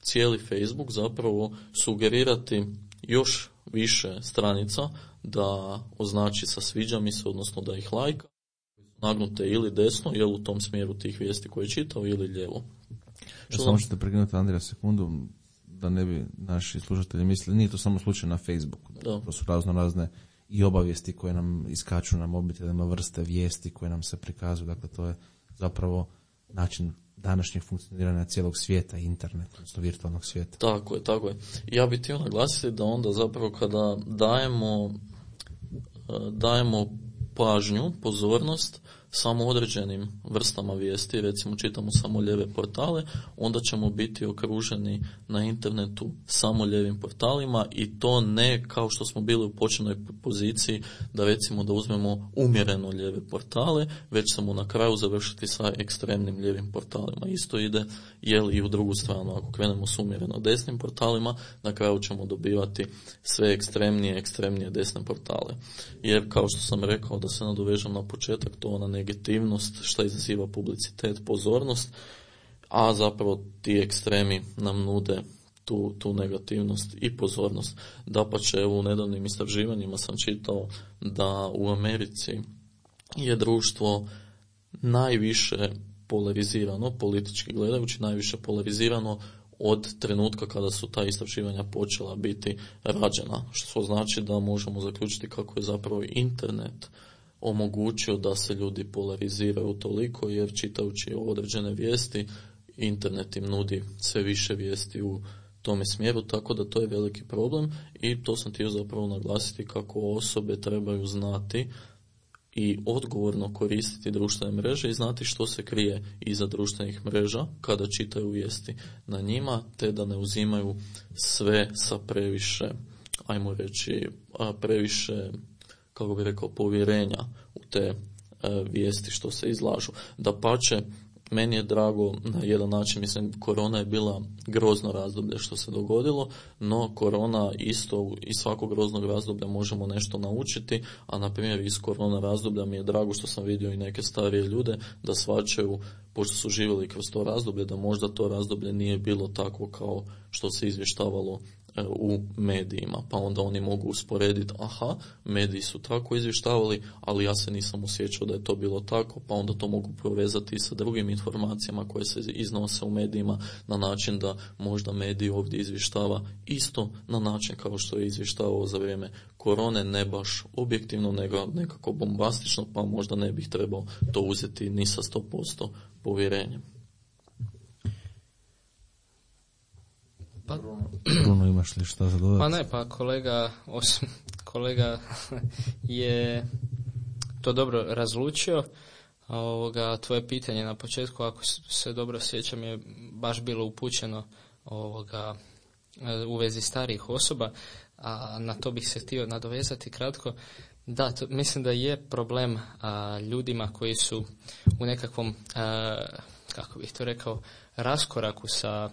cijeli Facebook zapravo sugerirati još više stranica da označi sa sviđa mi se, odnosno da ih lajka, nagnute ili desno, jel u tom smjeru tih vijesti koje je čitao, ili lijevo. Samo ćete prekinuti Andrija sekundu, da ne bi naši slušatelji mislili, nije to samo slučaj na Facebooku. To su razne i obavijesti koje nam iskaču na mobitelima, vrste vijesti koje nam se prikazuju. Dakle, to je zapravo način današnjeg funkcioniranja cijelog svijeta, interneta, odnosno virtualnog svijeta. Tako je. Ja bih htio naglasiti da onda zapravo kada dajemo pažnju, pozornost samo određenim vrstama vijesti, recimo čitamo samo lijeve portale, onda ćemo biti okruženi na internetu samo lijevim portalima i to ne kao što smo bili u početnoj poziciji da recimo da uzmemo umjereno lijeve portale, već ćemo na kraju završiti sa ekstremnim lijevim portalima. Isto ide i u drugu stranu, ako krenemo s umjereno desnim portalima, na kraju ćemo dobivati sve ekstremnije desne portale. Jer kao što sam rekao, da se nadovežem na početak, to ona negativnost što izaziva publicitet, pozornost, a zapravo ti ekstremi nam nude tu negativnost i pozornost. Dapače, evo u nedavnim istraživanjima sam čitao da u Americi je društvo najviše polarizirano, politički gledajući, najviše polarizirano od trenutka kada su ta istraživanja počela biti rađena, što znači da možemo zaključiti kako je zapravo internet omogućio da se ljudi polariziraju toliko, jer čitajući određene vijesti, internet im nudi sve više vijesti u tome smjeru, tako da to je veliki problem i to sam htio zapravo naglasiti kako osobe trebaju znati i odgovorno koristiti društvene mreže i znati što se krije iza društvenih mreža kada čitaju vijesti na njima, te da ne uzimaju sve sa previše, ajmo reći, previše, kako bi rekao, povjerenja u te vijesti što se izlažu. Dapače, meni je drago na jedan način, mislim, korona je bila grozno razdoblje što se dogodilo, no korona isto, iz svakog groznog razdoblja možemo nešto naučiti, a na primjer iz korona razdoblja mi je drago što sam vidio i neke starije ljude da shvaćaju, pošto su živjeli kroz to razdoblje, da možda to razdoblje nije bilo tako kao što se izvještavalo u medijima, pa onda oni mogu usporediti, aha, mediji su tako izvještavali, ali ja se nisam osjećao da je to bilo tako, pa onda to mogu povezati sa drugim informacijama koje se iznose u medijima na način da možda mediji ovdje izvještava isto na način kao što je izvještavao za vrijeme korone, ne baš objektivno, nego nekako bombastično, pa možda ne bih trebao to uzeti ni sa 100% povjerenjem. Bruno, imaš li šta za dodati? Pa ne, pa kolega je to dobro razlučio. Tvoje pitanje na početku, ako se dobro sjećam, je baš bilo upućeno u vezi starijih osoba, a na to bih se htio nadovezati kratko. Da, mislim da je problem ljudima koji su u nekakvom, kako bih to rekao, raskoraku sa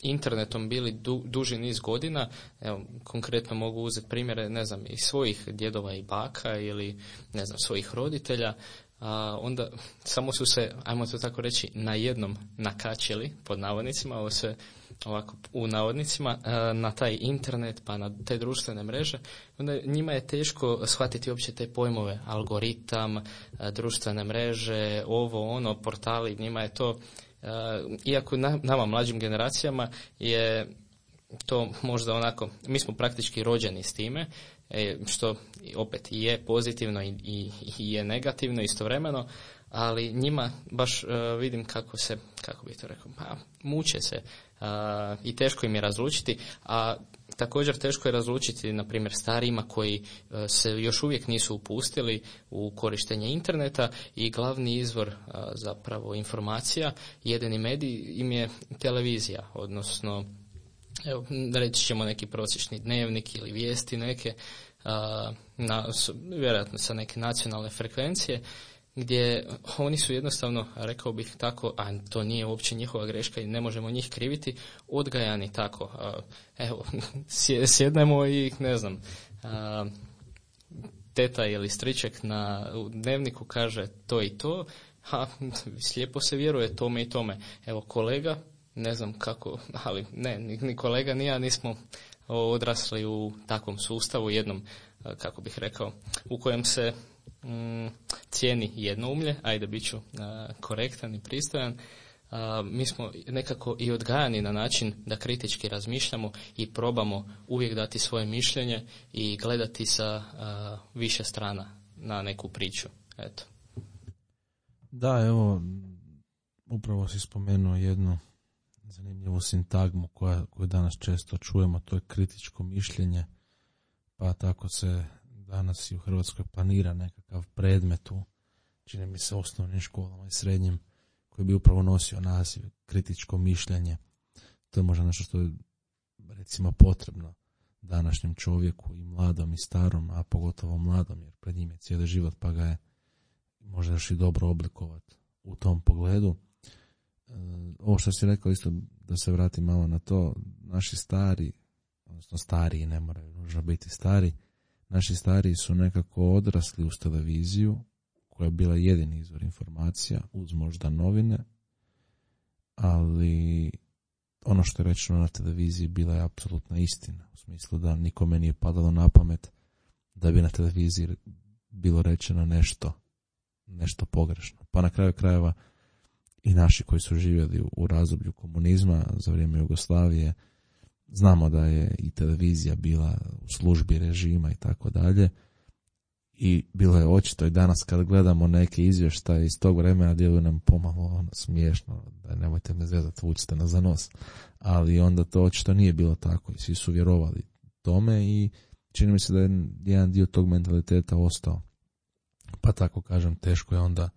internetom bili duži niz godina. Evo, konkretno mogu uzeti primjere, ne znam, i svojih djedova i baka ili, ne znam, svojih roditelja. onda samo su se, ajmo to tako reći, na jednom nakačili, pod navodnicima, ovo se ovako u navodnicima, na taj internet pa na te društvene mreže, onda njima je teško shvatiti uopće te pojmove, algoritam, društvene mreže, ovo, ono, portali, njima je to, iako nama mlađim generacijama je to možda onako, mi smo praktički rođeni s time, što opet je pozitivno i je negativno istovremeno, ali njima baš vidim kako bih to rekao, pa muče se i teško im je razlučiti, a također teško je razlučiti, na primjer, starijima koji se još uvijek nisu upustili u korištenje interneta i glavni izvor zapravo informacija, jedini medij im je televizija, odnosno evo, reći ćemo neki prosječni dnevnik ili vijesti neke, vjerojatno sa neke nacionalne frekvencije, gdje oni su jednostavno, rekao bih tako, a to nije uopće njihova greška i ne možemo njih kriviti, odgajani tako. Evo, sjednemo i ne znam, teta ili striček na dnevniku kaže to i to, slijepo se vjeruje tome i tome. Evo, kolega, ne znam kako, ali ne, ni kolega ni ja nismo odrasli u takvom sustavu, jednom, kako bih rekao, u kojem se cijeni jednoumlje, ajde bit ću korektan i pristojan. Mi smo nekako i odgajani na način da kritički razmišljamo i probamo uvijek dati svoje mišljenje i gledati sa više strana na neku priču. Eto. Da, evo, upravo si spomenuo jednu zanimljivu sintagmu koju danas često čujemo, to je kritičko mišljenje, pa tako se danas i u Hrvatskoj planira nekakav predmet u, čini mi se, osnovnim školama i srednjim, koji bi upravo nosio naziv kritičko mišljenje. To je možda nešto što je, recimo, potrebno današnjem čovjeku, i mladom i starom, a pogotovo mladom, jer pred njim je cijeli život, pa ga je možda još i dobro oblikovati u tom pogledu. Ovo što si rekao, isto da se vratim malo na to, naši stari, odnosno stariji, ne moraju nužno biti stari, naši stariji su nekako odrasli uz televiziju, koja je bila jedini izvor informacija, uz možda novine, ali ono što je rečeno na televiziji bila je apsolutna istina, u smislu da nikome nije padalo na pamet da bi na televiziji bilo rečeno nešto pogrešno. Pa na kraju krajeva i naši koji su živjeli u razdoblju komunizma, za vrijeme Jugoslavije, znamo da je i televizija bila u službi režima i tako dalje. I bilo je očito i danas kad gledamo neke izvještaje iz tog vremena, djeluje nam pomalo smiješno, da nemojte me zezati, vučite nas za nos. Ali onda to očito nije bilo tako i svi su vjerovali tome i čini mi se da je jedan dio tog mentaliteta ostao. Pa tako kažem, teško je onda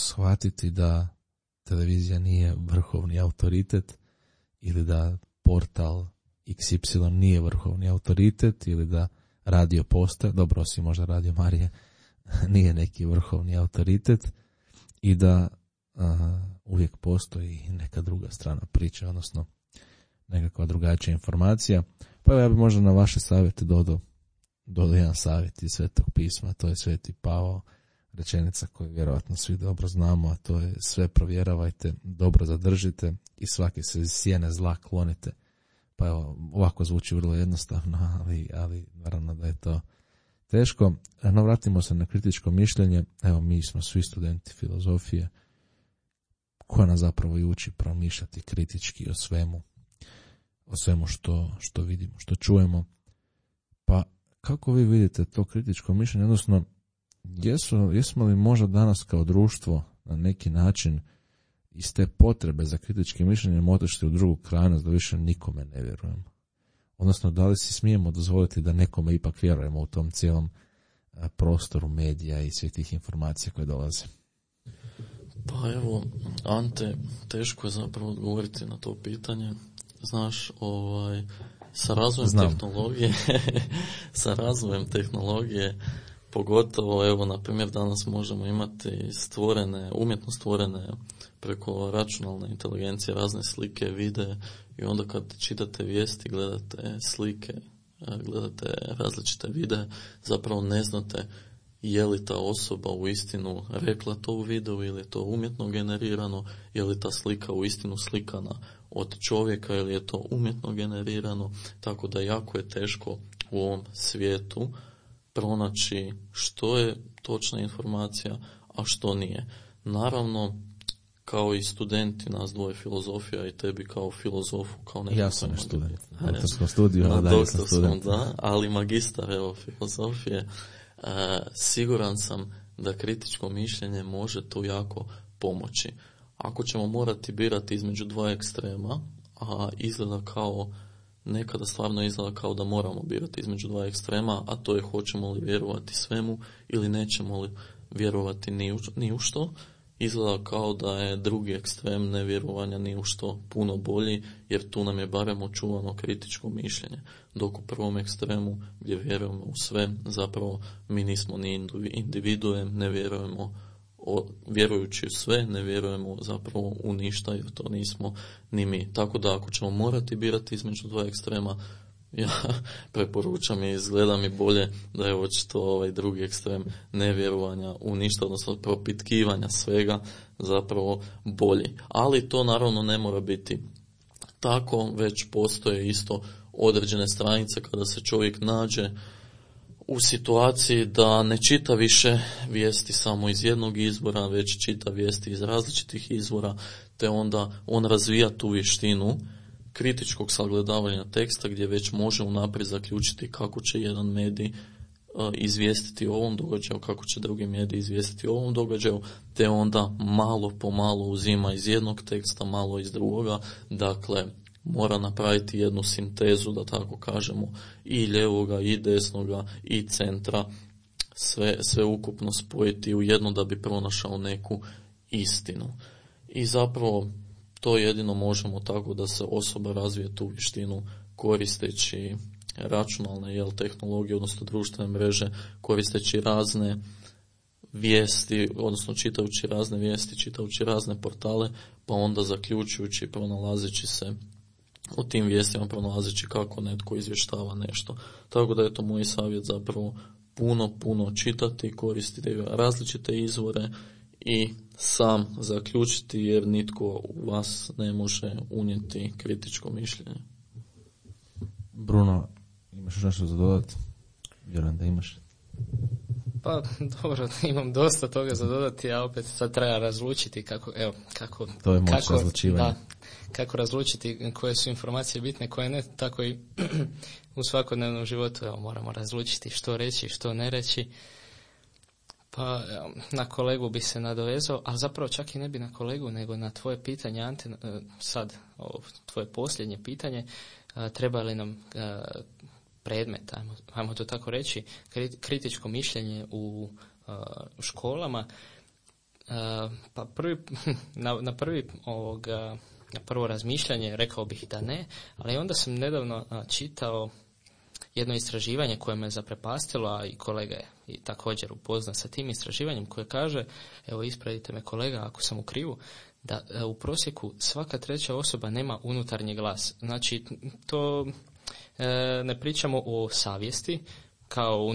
shvatiti da televizija nije vrhovni autoritet ili da portal XY nije vrhovni autoritet ili da radio postaje, dobro, osim možda Radio Marije, nije neki vrhovni autoritet i da uvijek postoji neka druga strana priče, odnosno nekakva drugačija informacija. Pa ja bih možda na vaše savjete dodao jedan savjet iz Svetog pisma, to je Sveti Pavao, rečenica koju vjerojatno svi dobro znamo, a to je: sve provjeravajte, dobro zadržite i svake se sjene zla klonite. Pa evo, ovako zvuči vrlo jednostavno, ali naravno da je to teško. No, vratimo se na kritičko mišljenje. Evo, mi smo svi studenti filozofije, koja nas zapravo i uči promišljati kritički o svemu što vidimo, što čujemo. Pa kako vi vidite to kritičko mišljenje, odnosno jesmo li možda danas kao društvo na neki način iz te potrebe za kritičkim mišljenjem otišli u drugu krajnost da više nikome ne vjerujemo? Odnosno, da li si smijemo dozvoliti da nekome ipak vjerujemo u tom cijelom prostoru medija i svih tih informacija koje dolaze? Pa evo, Ante, teško je zapravo odgovoriti na to pitanje. Znaš, sa razvojem tehnologije, pogotovo, evo, na primjer, danas možemo imati umjetno stvorene preko računalne inteligencije razne slike, videe, i onda kad čitate vijesti, gledate slike, gledate različite videe, zapravo ne znate je li ta osoba uistinu rekla to u videu ili je to umjetno generirano, je li ta slika uistinu slikana od čovjeka ili je to umjetno generirano, tako da jako je teško u ovom svijetu pronaći što je točna informacija, a što nije. Naravno, kao i studenti, nas dvoje filozofija i tebi kao filozofu, kao ja sam student, na doktorskom studiju, ali dalje sam student. Da, ali magistar filozofije, siguran sam da kritičko mišljenje može tu jako pomoći. Ako ćemo morati birati između dva ekstrema, a izgleda kao, nekada stvarno izgleda kao da moramo birati između dva ekstrema, a to je hoćemo li vjerovati svemu ili nećemo li vjerovati ni u što, izgleda kao da je drugi ekstrem nevjerovanja ni u što puno bolji, jer tu nam je barem očuvano kritičko mišljenje. Dok u prvom ekstremu gdje vjerujemo u sve, zapravo mi nismo ni individue, ne vjerujemo, vjerujući u sve, ne vjerujemo zapravo u ništa, jer to nismo ni mi. Tako da ako ćemo morati birati između dva ekstrema, ja preporučam i izgleda mi bolje da je očito ovaj drugi ekstrem nevjerovanja u ništa, odnosno propitkivanja svega, zapravo bolji. Ali to naravno ne mora biti tako, već postoje isto određene stranice kada se čovjek nađe u situaciji da ne čita više vijesti samo iz jednog izvora, već čita vijesti iz različitih izvora, te onda on razvija tu vještinu kritičkog sagledavanja teksta, gdje već može unaprijed zaključiti kako će jedan medij izvijestiti o ovom događaju, kako će drugi medij izvijestiti o ovom događaju, te onda malo po malo uzima iz jednog teksta, malo iz drugoga. Dakle, mora napraviti jednu sintezu, da tako kažemo, i ljevoga, i desnoga, i centra, sve ukupno spojiti u jedno da bi pronašao neku istinu. I zapravo to jedino možemo tako da se osoba razvije tu vještinu koristeći računalne tehnologije, odnosno društvene mreže, koristeći razne vijesti, odnosno čitajući razne vijesti, čitajući razne portale, pa onda zaključujući, pronalazeći se u tim vijestima, pronalazeći kako netko izvještava nešto. Tako da je to moj savjet, zapravo puno čitati, koristiti različite izvore i sam zaključiti, jer nitko u vas ne može unijeti kritičko mišljenje. Bruno, imaš nešto za dodati? Vjerujem da imaš. Pa dobro, imam dosta toga za dodati, a opet sad treba razlučiti kako to je moć razlučivanja. Da, kako razlučiti koje su informacije bitne, koje ne, tako i u svakodnevnom životu moramo razlučiti što reći, što ne reći. Pa na kolegu bi se nadovezao, ali zapravo čak i ne bi na kolegu, nego na tvoje pitanje, Ante, sad tvoje posljednje pitanje, treba li nam predmet, ajmo to tako reći, kritičko mišljenje u školama. Pa na prvo razmišljanje rekao bih da ne, ali onda sam nedavno čitao jedno istraživanje koje me zaprepastilo, a i kolega je i također upoznan sa tim istraživanjem, koje kaže, evo ispravite me kolega ako sam u krivu, da u prosjeku svaka treća osoba nema unutarnji glas. Znači, to ne pričamo o savjesti kao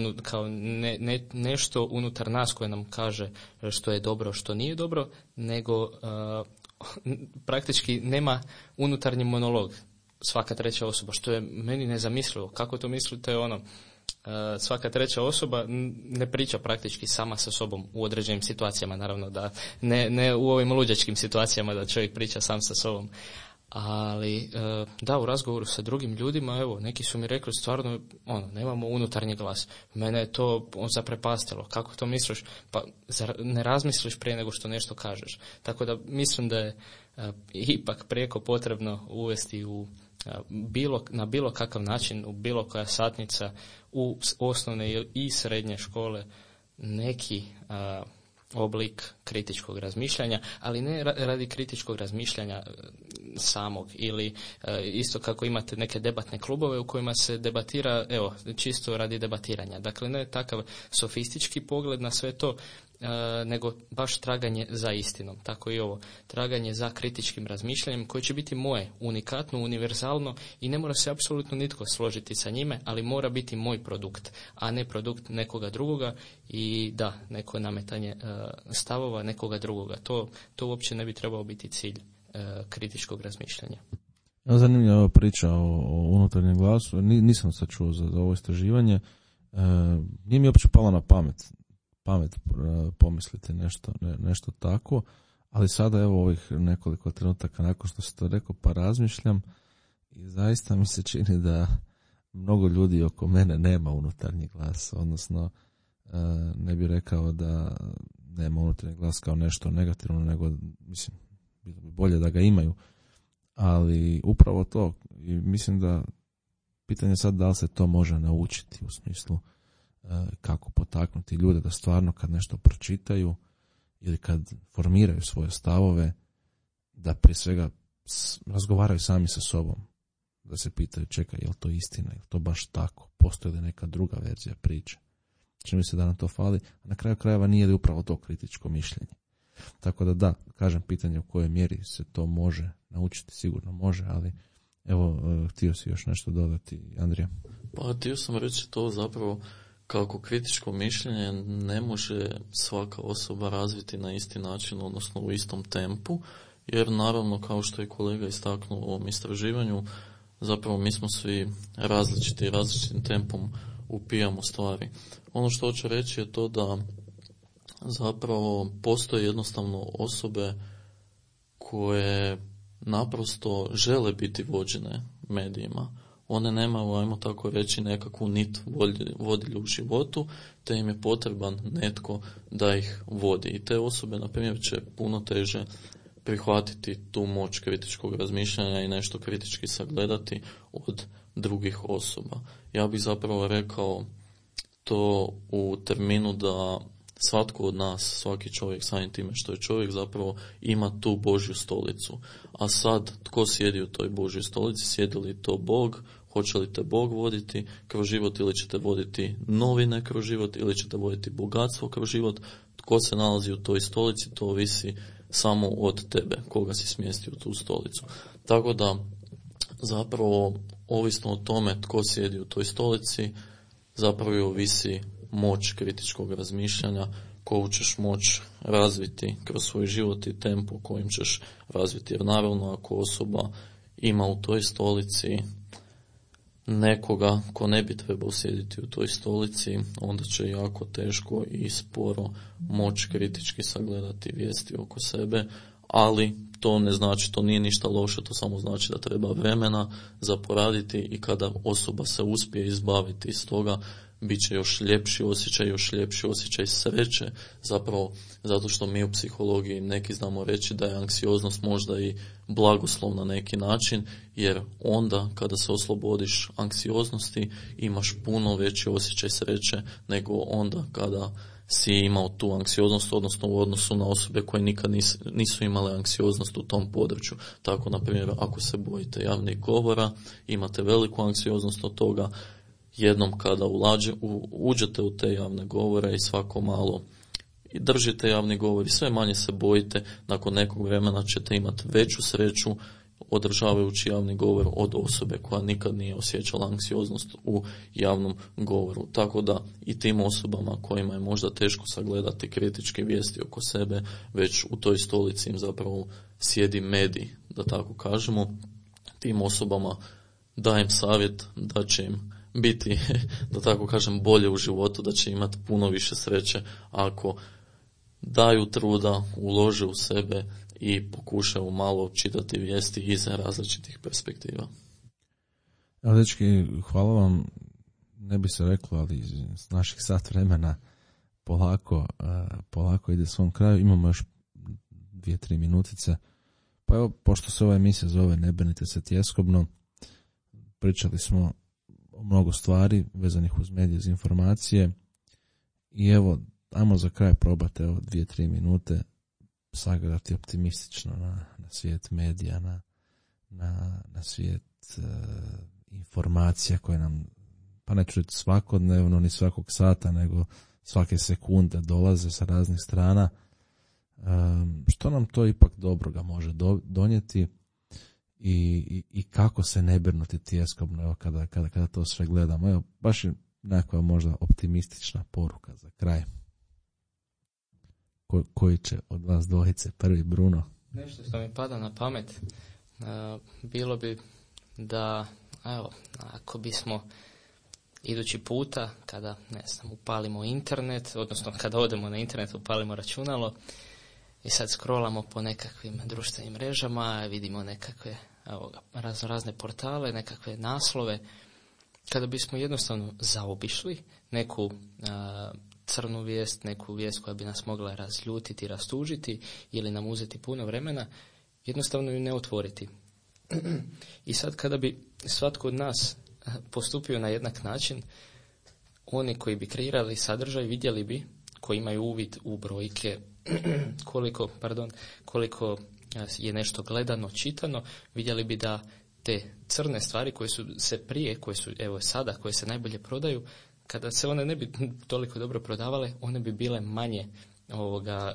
nešto unutar nas koje nam kaže što je dobro, što nije dobro, nego praktički nema unutarnji monolog svaka treća osoba, što je meni nezamislivo. Kako to mislite, svaka treća osoba ne priča praktički sama sa sobom u određenim situacijama, naravno da ne u ovim luđačkim situacijama da čovjek priča sam sa sobom, ali da, u razgovoru sa drugim ljudima, evo, neki su mi rekli stvarno, nemamo unutarnji glas. Mene je to zaprepastilo. Kako to misliš? Pa ne razmisliš prije nego što nešto kažeš. Tako da mislim da je ipak prijeko potrebno uvesti na bilo kakav način, u bilo koja satnica, u osnovne i srednje škole neki oblik kritičkog razmišljanja, ali ne radi kritičkog razmišljanja samog, ili isto kako imate neke debatne klubove u kojima se debatira, čisto radi debatiranja. Dakle, ne takav sofistički pogled na sve to, nego baš traganje za istinom. Tako i ovo, traganje za kritičkim razmišljanjem koje će biti moje, unikatno, univerzalno i ne mora se apsolutno nitko složiti sa njime, ali mora biti moj produkt, a ne produkt nekoga drugoga i da, neko nametanje stavova nekoga drugoga. To uopće ne bi trebao biti cilj kritičkog razmišljanja. Zanimljiva priča o unutarnjem glasu. Nisam sad čuo za ovo istraživanje. Nije mi uopće palo na pamet pomisliti nešto tako, ali sada evo ovih nekoliko trenutaka nakon što se to rekao pa razmišljam i zaista mi se čini da mnogo ljudi oko mene nema unutarnji glas, odnosno ne bi rekao da nema unutarnji glas kao nešto negativno, nego mislim bilo bi bolje da ga imaju, ali upravo to i mislim da pitanje sad da li se to može naučiti u smislu kako potaknuti ljude da stvarno kad nešto pročitaju ili kad formiraju svoje stavove da prije svega razgovaraju sami sa sobom, da se pitaju čekaj je li to istina, je li to baš tako, postoji li neka druga verzija priče. Čini mi se da nam to fali, a na kraju krajeva nije li upravo to kritičko mišljenje. Tako da, kažem pitanje u kojoj mjeri se to može naučiti, sigurno može, ali evo, htio si još nešto dodati, Andrija? Pa htio sam reći to zapravo kako kritičko mišljenje ne može svaka osoba razviti na isti način, odnosno u istom tempu, jer naravno kao što je kolega istaknuo u ovom istraživanju, zapravo mi smo svi različiti i različitim tempom upijamo stvari. Ono što hoću reći je to da zapravo postoje jednostavno osobe koje naprosto žele biti vođene medijima. One nemaju, ajmo tako reći, nekakvu nit vodilju u životu, te im je potreban netko da ih vodi. I te osobe, na primjer, će puno teže prihvatiti tu moć kritičkog razmišljanja i nešto kritički sagledati od drugih osoba. Ja bih zapravo rekao to u terminu da svatko od nas, svaki čovjek samim time što je čovjek zapravo ima tu Božju stolicu. A sad, tko sjedi u toj Božjoj stolici? Sjedi li to Bog? Hoće li te Bog voditi kroz život ili ćete voditi novine kroz život ili ćete voditi bogatstvo kroz život? Tko se nalazi u toj stolici, to ovisi samo od tebe, koga si smjesti u tu stolicu. Tako da, zapravo, ovisno o tome tko sjedi u toj stolici, zapravo ovisi moć kritičkog razmišljanja koju ćeš moć razviti kroz svoj život i tempo kojim ćeš razviti. Jer naravno ako osoba ima u toj stolici nekoga ko ne bi trebao sjediti u toj stolici, onda će jako teško i sporo moć kritički sagledati vijesti oko sebe, ali to ne znači, to nije ništa loše, to samo znači da treba vremena za poraditi i kada osoba se uspije izbaviti iz toga, bit će još ljepši osjećaj sreće, zapravo zato što mi u psihologiji neki znamo reći da je anksioznost možda i blagoslov na neki način, jer onda kada se oslobodiš anksioznosti imaš puno veći osjećaj sreće nego onda kada si imao tu anksioznost, odnosno u odnosu na osobe koje nikad nisu imale anksioznost u tom području. Tako, na primjer, ako se bojite javnih govora, imate veliku anksioznost od toga, jednom kada uđete u te javne govore i svako malo i držite javni govor i sve manje se bojite, nakon nekog vremena ćete imati veću sreću održavajući javni govor od osobe koja nikad nije osjećala anksioznost u javnom govoru. Tako da i tim osobama kojima je možda teško sagledati kritičke vijesti oko sebe, već u toj stolici im zapravo sjedi medij, da tako kažemo, tim osobama dajem savjet da će im biti, da tako kažem, bolje u životu, da će imati puno više sreće ako daju truda, ulože u sebe i pokušaju malo čitati vijesti iz različitih perspektiva. Evo, dečki, hvala vam. Ne bi se reklo, ali s naših sat vremena polako ide svom kraju. Imamo još 2-3 minutice. Pa evo, pošto se ova emisija zove Ne brinite se tjeskobno, pričali smo o mnogo stvari vezanih uz medije, uz informacije i evo, ajmo za kraj probate 2-3 minute sagledati optimistično na svijet medija, na svijet informacija koje nam, pa neću reći svakodnevno ni svakog sata, nego svake sekunde dolaze sa raznih strana, što nam to ipak dobroga može donijeti i kako se ne brinuti tjeskobno, evo, kada to sve gledamo. Evo, baš je nekakva možda optimistična poruka za kraj. Koji će od vas dvojice prvi, Bruno? Nešto što mi pada na pamet, bilo bi da, evo, ako bismo idući puta, kada, ne znam, upalimo internet, odnosno kada odemo na internet, upalimo računalo i sad scrollamo po nekakvim društvenim mrežama, vidimo nekakve razne portale, nekakve naslove, kada bismo jednostavno zaobišli neku crnu vijest, neku vijest koja bi nas mogla razljutiti, rastužiti ili nam uzeti puno vremena, jednostavno ju ne otvoriti. I sad kada bi svatko od nas postupio na jednak način, oni koji bi kreirali sadržaj vidjeli bi, koji imaju uvid u brojke, koliko je nešto gledano, čitano, vidjeli bi da te crne stvari koje su se prije, koje su evo sada, koje se najbolje prodaju, kada se one ne bi toliko dobro prodavale, one bi bile manje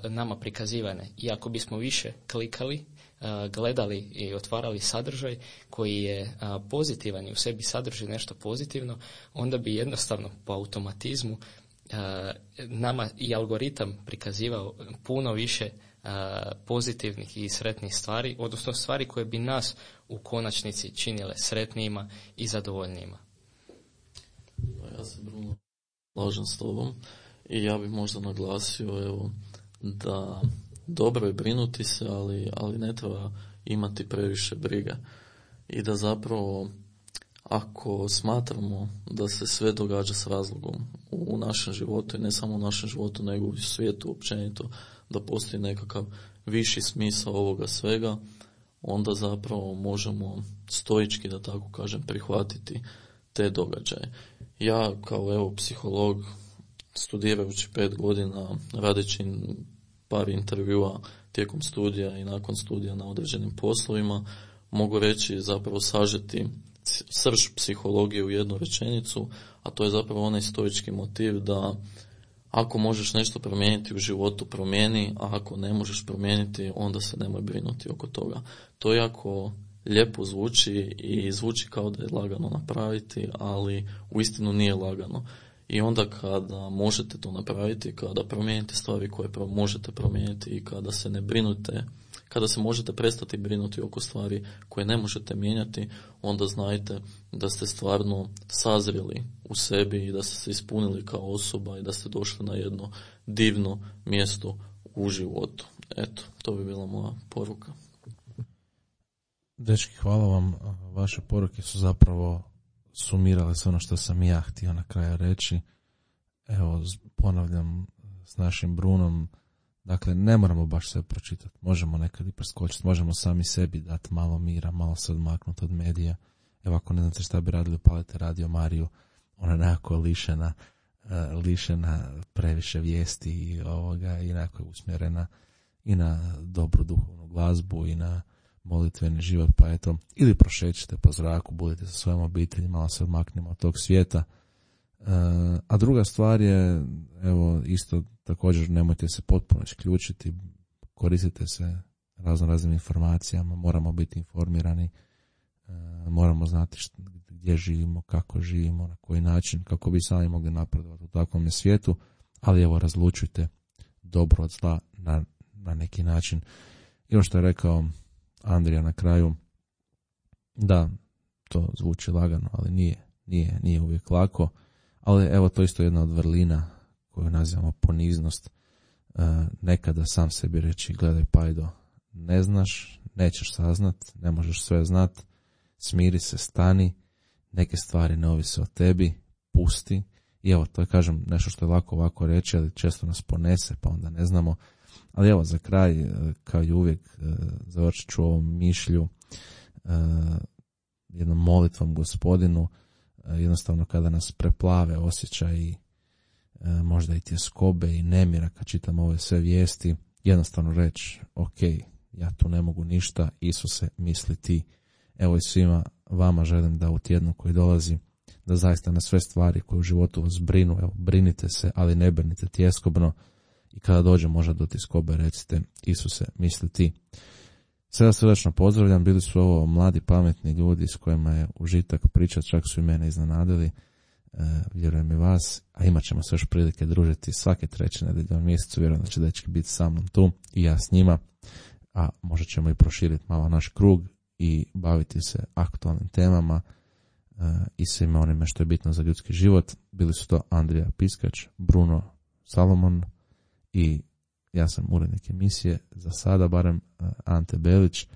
nama prikazivane. I ako bismo više klikali, gledali i otvarali sadržaj koji je pozitivan i u sebi sadrži nešto pozitivno, onda bi jednostavno po automatizmu nama i algoritam prikazivao puno više pozitivnih i sretnih stvari, odnosno stvari koje bi nas u konačnici činile sretnijima i zadovoljnijima. Ja se, Bruno, slažem s tobom i ja bih možda naglasio, evo, da dobro je brinuti se, ali ne treba imati previše brige. I da zapravo, ako smatramo da se sve događa s razlogom u našem životu, i ne samo u našem životu, nego u svijetu općenito, da postoji nekakav viši smisao ovoga svega, onda zapravo možemo stoički, da tako kažem, prihvatiti te događaje. Ja kao psiholog, studirajući 5 godina, radeći par intervjua tijekom studija i nakon studija na određenim poslovima, mogu reći, zapravo sažeti srž psihologije u jednu rečenicu, a to je zapravo onaj stoički motiv da ako možeš nešto promijeniti u životu, promijeni, a ako ne možeš promijeniti, onda se nemoj brinuti oko toga. To jako lijepo zvuči i zvuči kao da je lagano napraviti, ali uistinu nije lagano. I onda kada možete to napraviti, kada promijenite stvari koje možete promijeniti i kada se ne brinute, kada se možete prestati brinuti oko stvari koje ne možete mijenjati, onda znajte da ste stvarno sazreli u sebi i da ste se ispunili kao osoba i da ste došli na jedno divno mjesto u životu. Eto, to bi bila moja poruka. Dečki, hvala vam. Vaše poruke su zapravo sumirale sve ono što sam ja htio na kraju reći. Evo, ponavljam s našim Brunom, dakle, ne moramo baš sve pročitati. Možemo nekad i preskočiti, možemo sami sebi dati malo mira, malo se odmaknuti od medija. Evo, ako ne znate šta bi radili, upalite Radio Mariju, ona je nekako lišena previše vijesti i nekako je usmjerena i na dobru duhovnu glazbu i na molitveni život, pa eto, ili prošećite po zraku, budite sa svojom obitelji, malo se odmaknimo od tog svijeta. A druga stvar je, evo, isto također nemojte se potpuno isključiti, koristite se raznim informacijama, moramo biti informirani, moramo znati gdje živimo, kako živimo, na koji način, kako bi sami mogli napredovati u takvom svijetu, ali evo, razlučujte dobro od zla na neki način. I ono što je rekao Andrija na kraju, da, to zvuči lagano, ali nije uvijek lako, ali evo, to isto jedna od vrlina koju nazivamo poniznost. Nekada sam sebi reći, gledaj Pajdo, ne znaš, nećeš saznat, ne možeš sve znat, smiri se, stani, neke stvari ne ovise o tebi, pusti. I evo, to je, kažem, nešto što je lako ovako reći, ali često nas ponese, pa onda ne znamo. Ali evo, za kraj, kao i uvijek, završit ću ovom mišlju jednom molitvom Gospodinu, jednostavno kada nas preplave osjećaji, možda i tjeskobe i nemira kad čitam ove sve vijesti, jednostavno reći, ok, ja tu ne mogu ništa, Isuse, misli ti. Evo, i svima vama želim da u tjednu koji dolazi da zaista na sve stvari koje u životu vas brinu, evo, brinite se, ali ne brinite tjeskobno, i kada dođe možda do tjeskobe recite: Isuse, misli ti. Sve vas srdačno pozdravljam, bili su ovo mladi pametni ljudi s kojima je užitak pričati, čak su i mene iznenadili, vjerujem i vas, a imat ćemo se još prilike družiti svake 3. nedjelje u mjesecu, vjerujem da će dečki biti sa mnom tu i ja s njima, a možda ćemo i proširiti malo naš krug i baviti se aktualnim temama i svime onime što je bitno za ljudski život. Bili su to Andrija Piskač, Bruno Salomon i ja sam urednik emisije, za sada barem, Ante Belić.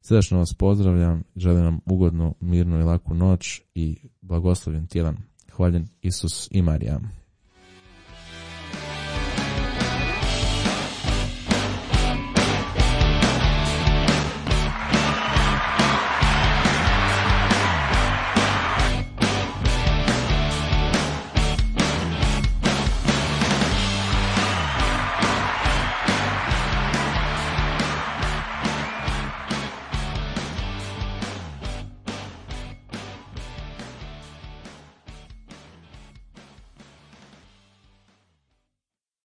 Srdačno vas pozdravljam, želim vam ugodnu, mirnu i laku noć i blagoslovljen tjedan. Hvaljen Isus i Marija.